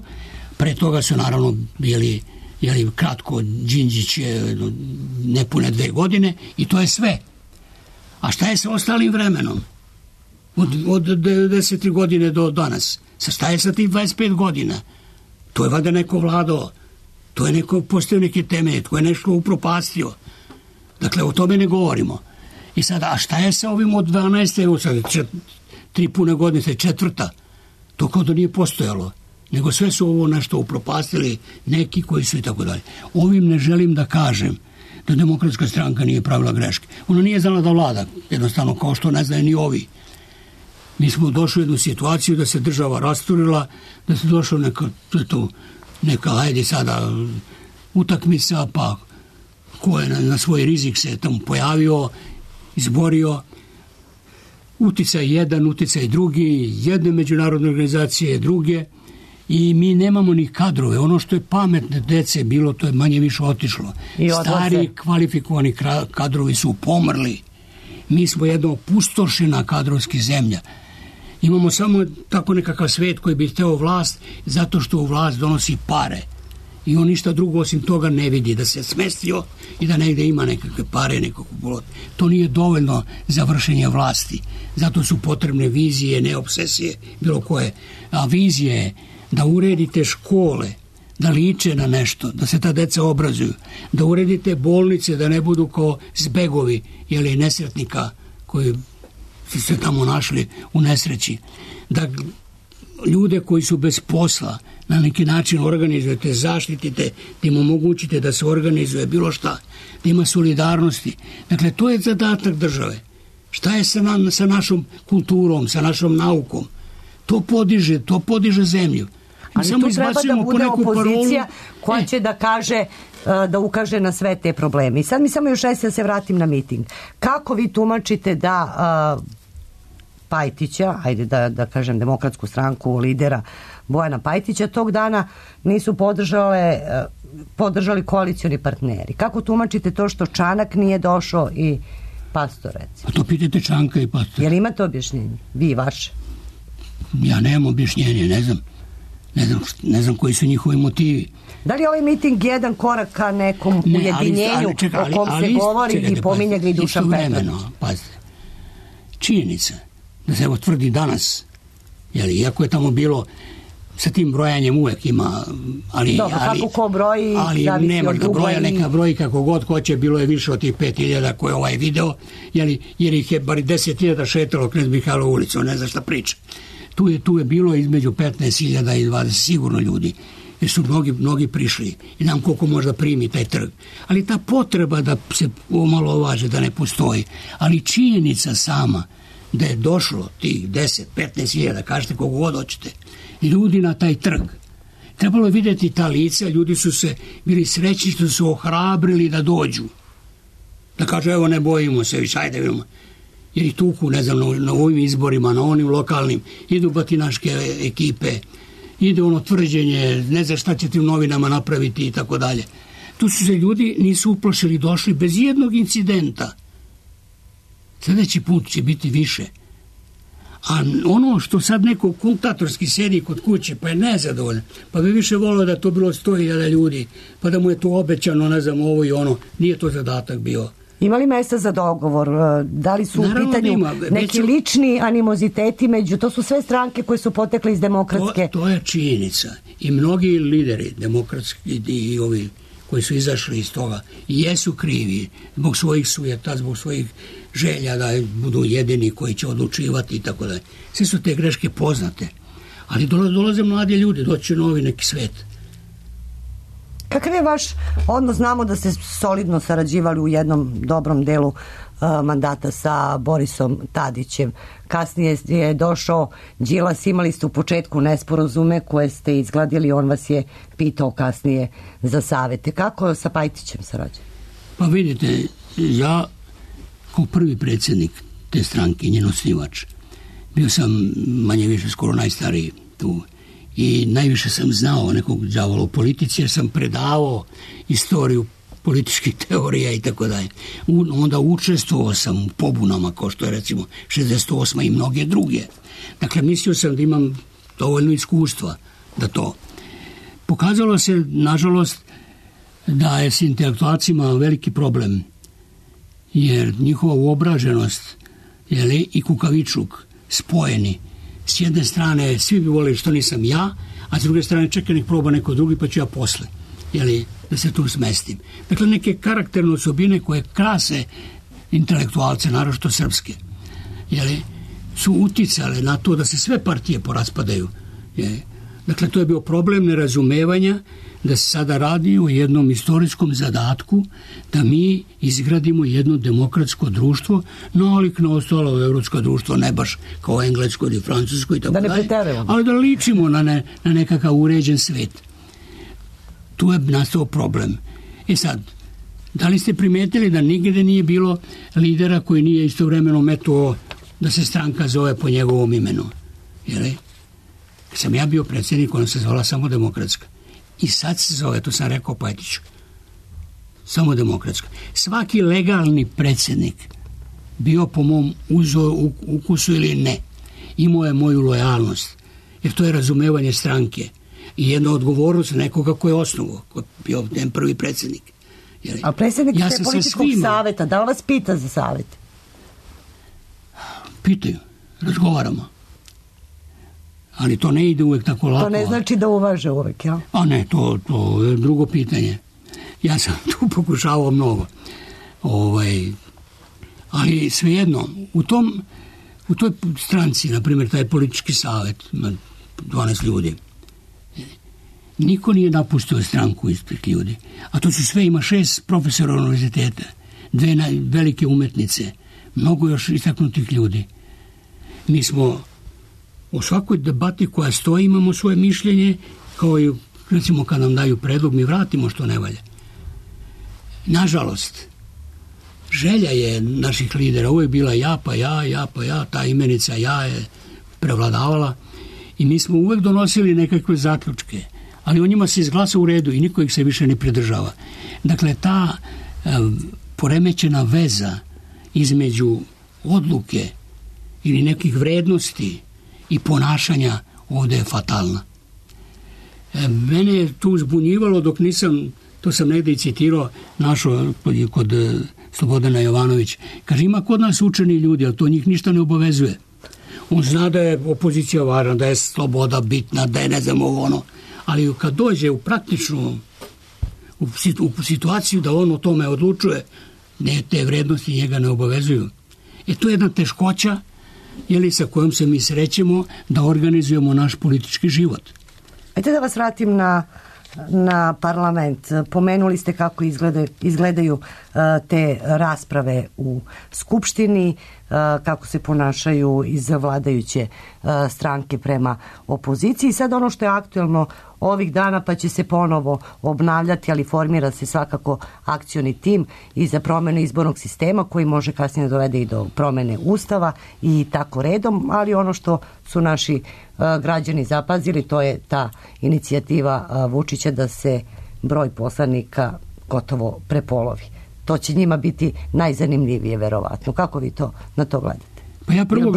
Pre toga su naravno bili kratko, Đinđić je nepune 2 godine i to je sve. A šta je sa ostalim vremenom? Od 90. godine do danas. Šta je sa tih 25 godina? To je valjda neko vladao. To je neko postavio neke temelje, to je nešto upropastio. Dakle, o tome ne govorimo. I sada, a šta je sa ovim od 12. sad 3 pune godine, 4. To kao da nije postojalo. Nego sve su ovo nešto upropastili neki koji su i tako dalje. Ovim ne želim da kažem da Demokratska stranka nije pravila greške. Ona nije znala da vlada, jednostavno kao što ne znaju ni ovi. Mi smo došli u jednu situaciju da se država rasturila, da se došlo neka ajde sada utakmica, pa ko je na svoj rizik se tamo pojavio, izborio, uticaj jedan, uticaj drugi, jedne međunarodne organizacije, druge, i mi nemamo ni kadrove. Ono što je pametne dece bilo, to je manje više otišlo. Stari kvalifikovani kadrovi su pomrli. Mi smo jedna opustošena kadrovski zemlja. Imamo samo tako nekakav svet koji bi hteo vlast zato što u vlast donosi pare. I on ništa drugo osim toga ne vidi, da se smestio i da negde ima nekakve pare, nekakvu bolot. To nije dovoljno za vršenje vlasti. Zato su potrebne vizije, ne obsesije, bilo koje. A vizije je da uredite škole, da liče na nešto, da se ta deca obrazuju, da uredite bolnice, da ne budu kao zbegovi ili nesretnika koji su se tamo našli u nesreći, da ljude koji su bez posla na neki način organizujete, zaštitite, da im omogućite da se organizuje bilo šta, da ima solidarnosti. Dakle, to je zadatak države. Šta je sa našom kulturom, sa našom naukom? To podiže zemlju. Ali tu treba da bude opozicija koja će da kaže, da ukaže na sve te probleme. I sad mi samo još da se vratim na miting. Kako vi tumačite da Pajtića, ajde da kažem Demokratsku stranku, lidera Bojana Pajtića, tog dana nisu podržali koalicioni partneri? Kako tumačite to što Čanak nije došao i Pastor, recimo? A to pitajte Čanka i Pastor. Jel imate objašnjenje? Vi, vaše? Ja nemam objašnjenje, ne znam koji su njihovi motivi. Da li je ovaj miting jedan korak ka nekom ujedinjenju o kom se govori i pominje ga i Dušan Petrović? Pazite, činjenica da se evo tvrdi danas, iako je tamo bilo sa tim brojanjem uvek ima, ali kako ko broji, ali nema ga broja, neka broji kako god hoće, bilo je više od tih 5.000 koje je ovaj video, jer ih je bar 10.000 šetalo Knez Mihajlova ulicu, ne zna šta priča. Tu je bilo između 15.000 i 20 sigurno ljudi, jer su mnogi prišli i nam koliko možda primi taj trg. Ali ta potreba da se omalovaže, da ne postoji, ali činjenica sama da je došlo tih 10-15.000, kažete koliko god hoćete, ljudi na taj trg. Trebalo je vidjeti ta lica, ljudi su se bili srećni što su ohrabrili da dođu. Da kažu, evo ne bojimo se više, ajde vidimo. Jer ih tuku, ne znam, na ovim izborima, na onim lokalnim, idu batinaške ekipe, ide ono tvrđenje, ne znam šta ćete u novinama napraviti i tako dalje. Tu su se ljudi nisu uplašili, došli bez jednog incidenta. Sljedeći put će biti više. A ono što sad neko kultatorski sedi kod kuće, pa je nezadovoljan, pa bi više volio da je to bilo 100.000 ljudi, pa da mu je to obećano, ne znam, ovo i ono, nije to zadatak bio. Ima li mesta za dogovor? Da li su u pitanju neki lični animoziteti to su sve stranke koje su potekle iz demokratske? To je činjenica. I mnogi lideri demokratski i ovi koji su izašli iz toga jesu krivi zbog svojih sujeta, zbog svojih želja da budu jedini koji će odlučivati i tako dalje. Sve su te greške poznate. Ali dolaze mladi ljudi, doći novi neki svet. Kakav je vaš odnos? Znamo da ste solidno sarađivali u jednom dobrom delu mandata sa Borisom Tadićem. Kasnije je došao Đilas, imali ste u početku nesporazume koje ste izgladili, on vas je pitao kasnije za savete. Kako sa Pajtićem sarađujete? Pa vidite, ja kao prvi predsjednik te stranke, njen osnivač, bio sam manje više skoro najstariji tu i najviše sam znao nekog đavola u politici jer sam predavao istoriju političkih teorija i tako dalje. Onda učestvovao sam u pobunama, kao što je recimo 68. i mnoge druge. Dakle, mislio sam da imam dovoljno iskustva da to. Pokazalo se, nažalost, da je s intelektualcima veliki problem, jer njihova uobraženost i kukavičluk spojeni. S jedne strane svi bi volili što nisam ja, a s druge strane čekaj nek proba neko drugi pa ću ja posle, da se tu smestim. Dakle, neke karakterne osobine koje krase intelektualce, naročito srpske, su uticale na to da se sve partije poraspadaju. Dakle, to je bio problem nerazumevanja da se sada radi o jednom istorijskom zadatku da mi izgradimo jedno demokratsko društvo, nalik na ostalo evropsko društvo, ne baš kao englesko ili francusko i tako dalje, ali da ličimo na nekakav uređen svet. Tu je nastao problem. Sad, da li ste primetili da nigde nije bilo lidera koji nije istovremeno metuo da se stranka zove po njegovom imenu? Kad sam ja bio predsjednik, ona se zvala Samodemokratska. I sad se zove, to sam rekao poetički, Samodemokratska. Svaki legalni predsjednik, bio po mom ukusu ili ne, imao je moju lojalnost, jer to je razumevanje stranke i jedna odgovornost nekoga ko je osnovo, ko je bio njen prvi predsjednik. A predsjednik ste političkog savjeta, da li vas pita za savjet? Pitaju, razgovaramo. Ali to ne ide uvek tako lako. To ne znači da uvaže uvek, jel? A ne, to je drugo pitanje. Ja sam tu pokušavao mnogo. Ali svejedno, u toj stranci, na primjer, taj politički savjet, 12 ljudi, niko nije napustio stranku ispred ljudi. A to su sve, ima 6 profesora univerziteta, 2 velike umetnice, mnogo još istaknutih ljudi. Mi smo u svakoj debati koja stoji imamo svoje mišljenje, kao i recimo kad nam daju predlog, mi vratimo što ne valja. Nažalost, želja je naših lidera uvijek bila ja pa ja, ta imenica ja je prevladavala i mi smo uvijek donosili nekakve zaključke, ali o njima se izglasa u redu i niko ih se više ne pridržava. Dakle, ta poremećena veza između odluke ili nekih vrednosti i ponašanja ovdje je fatalna. Mene je tu zbunjivalo dok nisam, to sam negdje i citirao, našao kod Slobodana Jovanović. Kaže, ima kod nas učeni ljudi, ali to njih ništa ne obavezuje. On zna da je opozicija važna, da je sloboda bitna, da je ne znam ono, ali kad dođe u praktičnu u situaciju da on o tome odlučuje, te vrednosti njega ne obavezuju. To je jedna teškoća sa kojom se mi srećemo da organizujemo naš politički život. Ajde da vas vratim na parlament. Pomenuli ste kako izgledaju te rasprave u Skupštini, kako se ponašaju iz vladajuće stranke prema opoziciji. Sad ono što je aktuelno ovih dana, pa će se ponovo obnavljati, ali formira se svakako akcioni tim i za promjenu izbornog sistema koji može kasnije dovede i do promjene ustava i tako redom, ali ono što su naši građani zapazili, to je ta inicijativa Vučića da se broj poslanika gotovo prepolovi. To će njima biti najzanimljivije, verovatno. Kako vi na to gledate? Pa ja prvo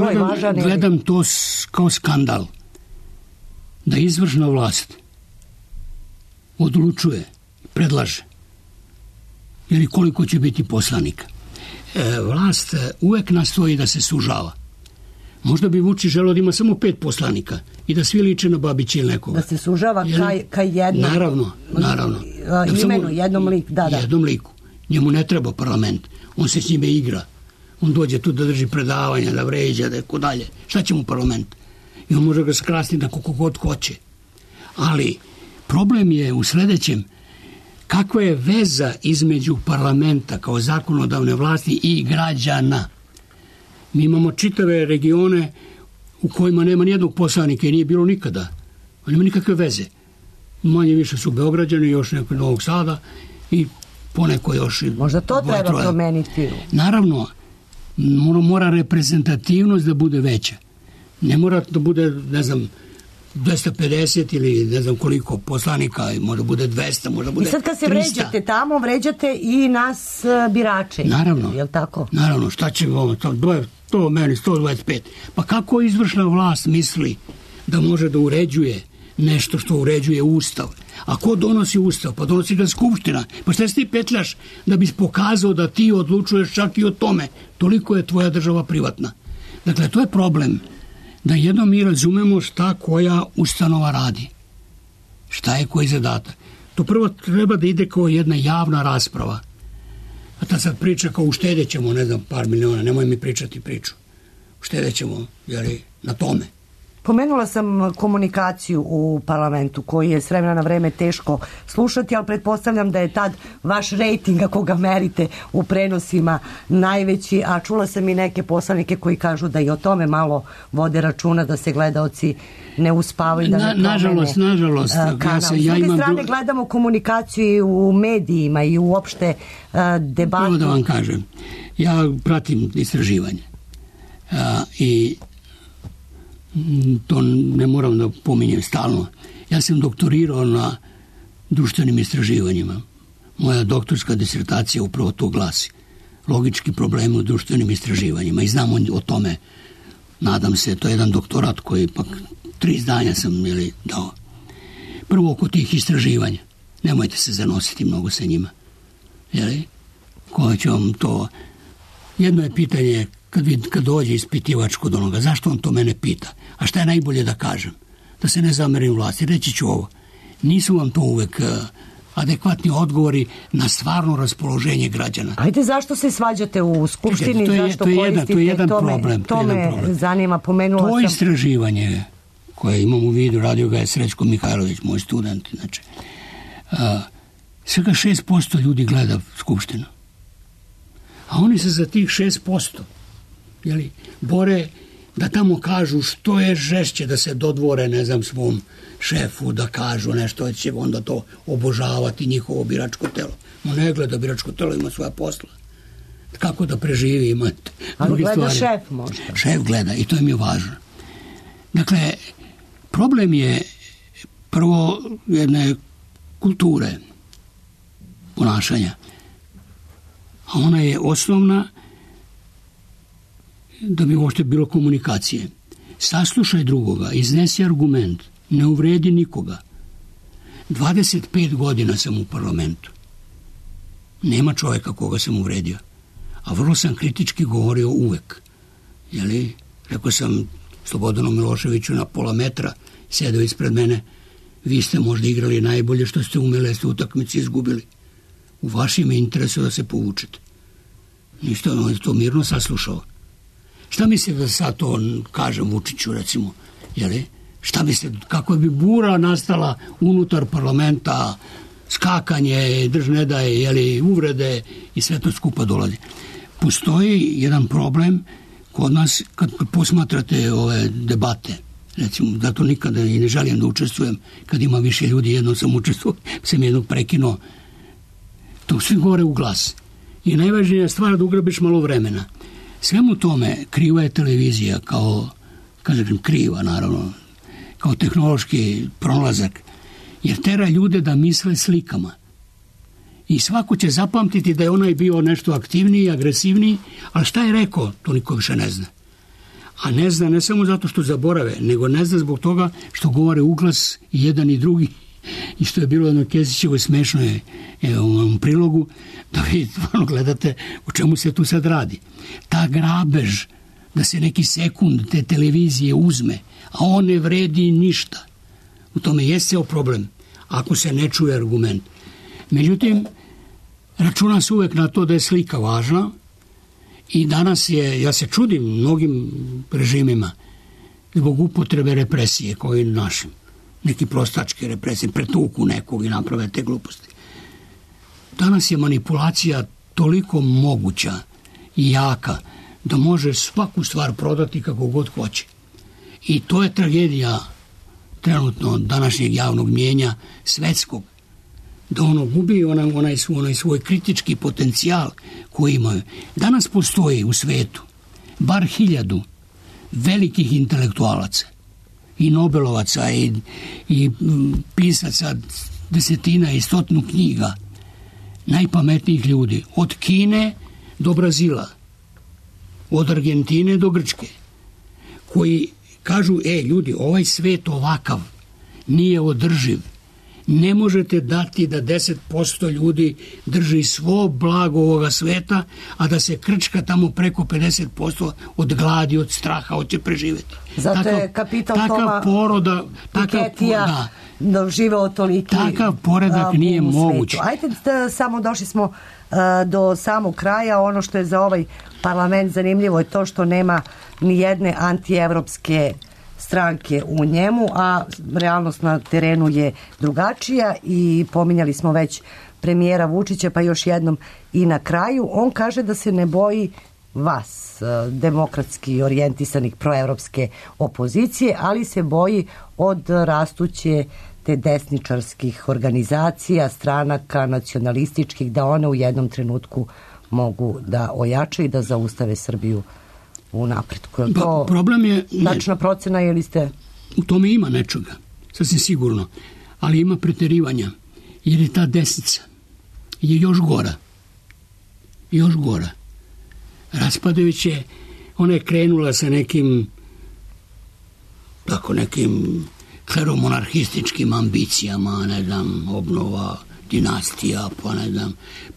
gledam to kao skandal. Da izvršna vlast odlučuje, predlaže, ili koliko će biti poslanika. Vlast uvek nastoji da se sužava. Možda bi Vučić želeo da ima samo 5 poslanika i da svi liče na Babića ili nekoga. Da se sužava ka jednom. Naravno. Imenu, jednom liku. Jednom liku. Njemu ne treba parlament. On se s njime igra. On dođe tu da drži predavanja, da vređa, da je ko dalje. Šta će mu parlament? I on može ga skrasiti na koliko god hoće. Ali problem je u sledećem. Kakva je veza između parlamenta kao zakonodavne vlasti i građana? Mi imamo čitave regione u kojima nema nijednog poslanika i nije bilo nikada. Nema nikakve veze. Manje više su Beograđani, još neko Novog Sada i poneko još. Možda to treba promeniti. Naravno, mora reprezentativnost da bude veća. Ne mora da bude, 250 ili ne znam koliko poslanika, može bude 200, može bude 300. I sad kad se vređate tamo, vređate i nas birače. Naravno. Je li tako? Naravno, šta će ovo, to meni 125. Pa kako izvršna vlast misli da može da uređuje nešto što uređuje Ustav? A ko donosi Ustav? Pa donosi ga Skupština. Pa šta si ti petljaš da bi pokazao da ti odlučuješ čak i o tome? Toliko je tvoja država privatna. Dakle, to je problem. Da jednom mi razumemo šta koja ustanova radi. Šta je koji zadatak. To prvo treba da ide kao jedna javna rasprava. A ta sad priča kao uštedjet ćemo, ne znam, par miliona, nemoj mi pričati priču. Uštedjet ćemo, jer na tome. Pomenula sam komunikaciju u parlamentu koji je s vremena na vreme teško slušati, ali pretpostavljam da je tad vaš rejting, ako ga merite u prenosima, najveći, a čula sam i neke poslanike koji kažu da i o tome malo vode računa, da se gledaoci ne uspavaju, da ne promene nažalost, kanal. S druge strane gledamo komunikaciju u medijima i uopšte debatu. Prvo da vam kažem, ja pratim istraživanje i to ne moram da pominjem stalno. Ja sam doktorirao na društvenim istraživanjima. Moja doktorska disertacija upravo to glasi. Logički problemi u društvenim istraživanjima. I znam o tome, nadam se, to je jedan doktorat koji ipak 3 izdanja sam dao. Prvo oko tih istraživanja. Nemojte se zanositi mnogo sa njima. Jeli? Ko će vam to... Jedno je pitanje kad dođe ispitivač kod onoga, zašto on to mene pita? A šta je najbolje da kažem? Da se ne zamerim vlasti. Reći ću ovo. Nisu vam to uvek adekvatni odgovori na stvarno raspoloženje građana. Ajde, zašto se svađate u Skupštini? To je jedan problem. To me zanima, pomenula sam. To istraživanje koje imam u vidu, radio ga je Srećko Mihajlović, moj student. Znači, svega 6% ljudi gleda Skupštinu. A oni se za tih 6% bore da tamo kažu što je žešće, da se dodvore, ne znam, svom šefu, da kažu nešto, će onda to obožavati njihovo biračko telo. On ne gleda biračko telo, ima svoja posla. Kako da preživi, ima druge stvari. Ali gleda šef možda. Šef gleda i to im je važno. Dakle, problem je prvo jedne kulture ponašanja. A ona je osnovna da bi uopšte bilo komunikacije. Saslušaj drugoga, iznesi argument, ne uvredi nikoga. 25 godina sam u parlamentu. Nema čovjeka koga sam uvredio. A vrlo sam kritički govorio uvek. Rekao sam Slobodanu Miloševiću na pola metra, sedeo ispred mene, vi ste možda igrali najbolje što ste umeli, ste utakmici izgubili. U vašim je interesu da se povučete. Ništa, on je to mirno saslušao. Šta mislite da sad to kažem Vučiću, recimo? Šta mislite, kako bi bura nastala unutar parlamenta, skakanje, ne daje, uvrede i sve to skupa dolazi. Postoji jedan problem kod nas kad posmatrate ove debate, recimo, zato nikada i ne želim da učestvujem, kad ima više ljudi, jednom sam učestvovao, sam jednog prekinuo, to svi govore u glas. I najvažnija stvar da ugrabiš malo vremena. Svemu tome kriva je televizija kao, kažem, kriva naravno, kao tehnološki pronalazak, jer tera ljude da misle slikama. I svako će zapamtiti da je onaj bio nešto aktivniji, agresivniji, ali šta je rekao, to niko više ne zna. A ne zna ne samo zato što zaborave, nego ne zna zbog toga što govore uglas i jedan i drugi. I što je bilo jedno Kesićevo smešno je u prilogu, da vi gledate o čemu se tu sad radi. Ta grabež, da se neki sekund te televizije uzme, a on ne vredi ništa. U tome je ceo problem, ako se ne čuje argument. Međutim, računa se uvek na to da je slika važna i danas je, ja se čudim mnogim režimima zbog upotrebe represije koji našim. Neki prostačke represije, pretuku nekog i naprave te gluposti. Danas je manipulacija toliko moguća i jaka da može svaku stvar prodati kako god hoće. I to je tragedija trenutno današnjeg javnog mnijenja svetskog. Da ono gubi onaj svoj kritički potencijal koji imaju. Danas postoji u svetu bar 1000 velikih intelektualaca i Nobelovaca i pisaca desetina i stotinu knjiga, najpametnijih ljudi, od Kine do Brazila, od Argentine do Grčke, koji kažu, ljudi, ovaj svet ovakav nije održiv. Ne možete dati da 10% ljudi drži svo blago ovoga sveta, a da se krčka tamo preko 50% od gladi, od straha, hoće preživeti. Zato je kapital Toma Piketija doživeo toliki takav poredak nije moguć. Ajde, samo došli smo do samog kraja. Ono što je za ovaj parlament zanimljivo je to što nema ni jedne antievropske stranke u njemu, a realnost na terenu je drugačija i pominjali smo već premijera Vučića, pa još jednom i na kraju. On kaže da se ne boji vas, demokratski orijentisanih proevropske opozicije, ali se boji od rastuće te desničarskih organizacija, stranaka, nacionalističkih, da one u jednom trenutku mogu da ojačaju i da zaustave Srbiju u napretku. Je to problem je tačna procena ili ste... U tome ima nečega, sasvim sigurno, ali ima preterivanja, jer je ta desnica je još gora. Još gora. Raspadajuće, ona je krenula sa nekim kleromonarhističkim ambicijama, ne znam, obnova dinastija, pa ne znam,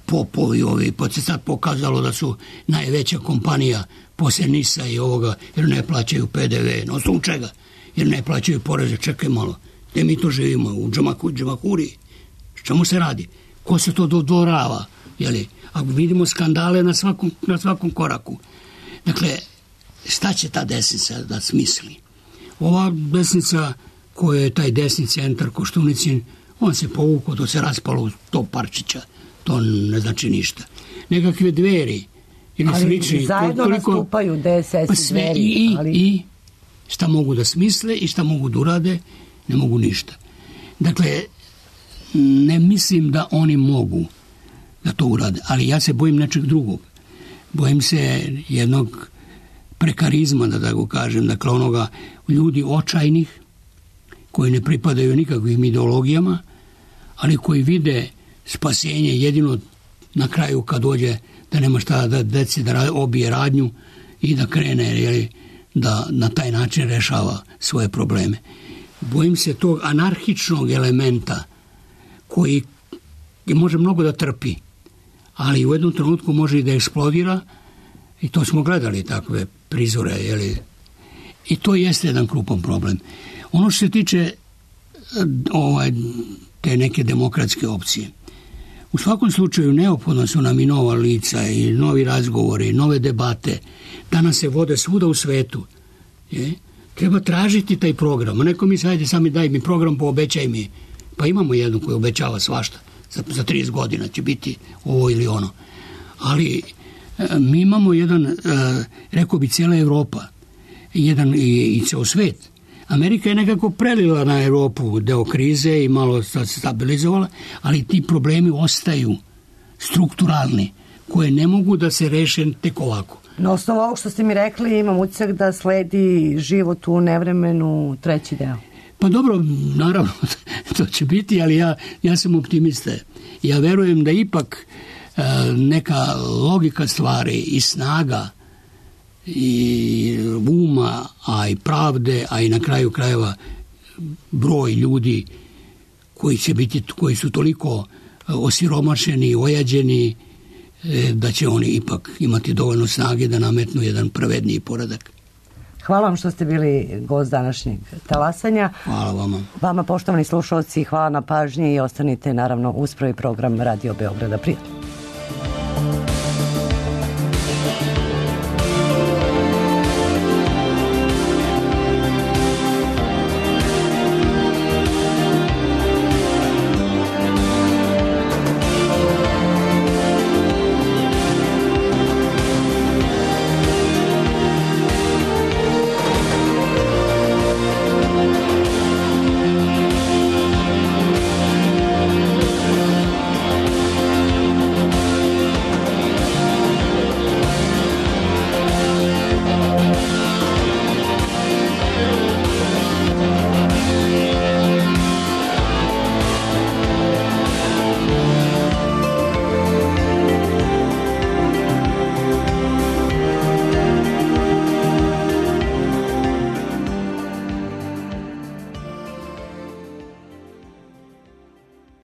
popovi ovi, pa se sad pokazalo da su najveća kompanija poslije NIS-a i ovoga, jer ne plaćaju PDV. Na osnovu čega? Jer ne plaćaju poreze. Čekaj malo, gde mi to živimo? U Džamahuriji? Čemu se radi? Ko se to dodvorava? A vidimo skandale na svakom koraku. Dakle, šta će ta desnica da smisli? Ova desnica koja je taj desni centar Koštunicin, on se povukao, to se raspalo u to parčića. To ne znači ništa. Nekakve Dveri ili slični. Ali zajedno nastupaju DSS i Dveri. I šta mogu da smisle i šta mogu da urade, ne mogu ništa. Dakle, ne mislim da oni mogu da to urade, ali ja se bojim nečeg drugog. Bojim se jednog prekarizma, da tako kažem, dakle onoga ljudi očajnih, koji ne pripadaju nikakvim ideologijama, ali koji vide spasenje jedino na kraju kad dođe da nema šta da deci da obije radnju i da krene da na taj način rešava svoje probleme. Bojim se tog anarhičnog elementa koji može mnogo da trpi, ali u jednom trenutku može i da eksplodira, i to smo gledali takve prizore, i to jeste jedan krupan problem. Ono što se tiče te neke demokratske opcije, u svakom slučaju neophodno su nam i nova lica i novi razgovori, nove debate. Danas se vode svuda u svetu. Treba tražiti taj program. Neko mi sajde sami daj mi program, poobećaj mi. Pa imamo jednu koju obećava svašta. Za 30 godina će biti ovo ili ono. Ali mi imamo jedan, rekao bi cijela Evropa, jedan i ceo svet. Amerika je nekako prelila na Europu deo krize i malo se stabilizovala, ali ti problemi ostaju strukturalni, koje ne mogu da se reše tek ovako. Na osnovu ovog što ste mi rekli, imam utisak da sledi život u nevremenu treći deo. Pa dobro, naravno, to će biti, ali ja sam optimista. Ja verujem da ipak neka logika stvari i snaga i uma, a i pravde, a i na kraju krajeva broj ljudi koji su toliko osiromašeni, ojađeni, da će oni ipak imati dovoljno snage da nametnu jedan pravedniji poredak. Hvala vam što ste bili gost današnjeg talasanja. Hvala vama. Vama, poštovani slušalci, hvala na pažnji i ostanite naravno uz prvi program Radio Beograda. Prijatno.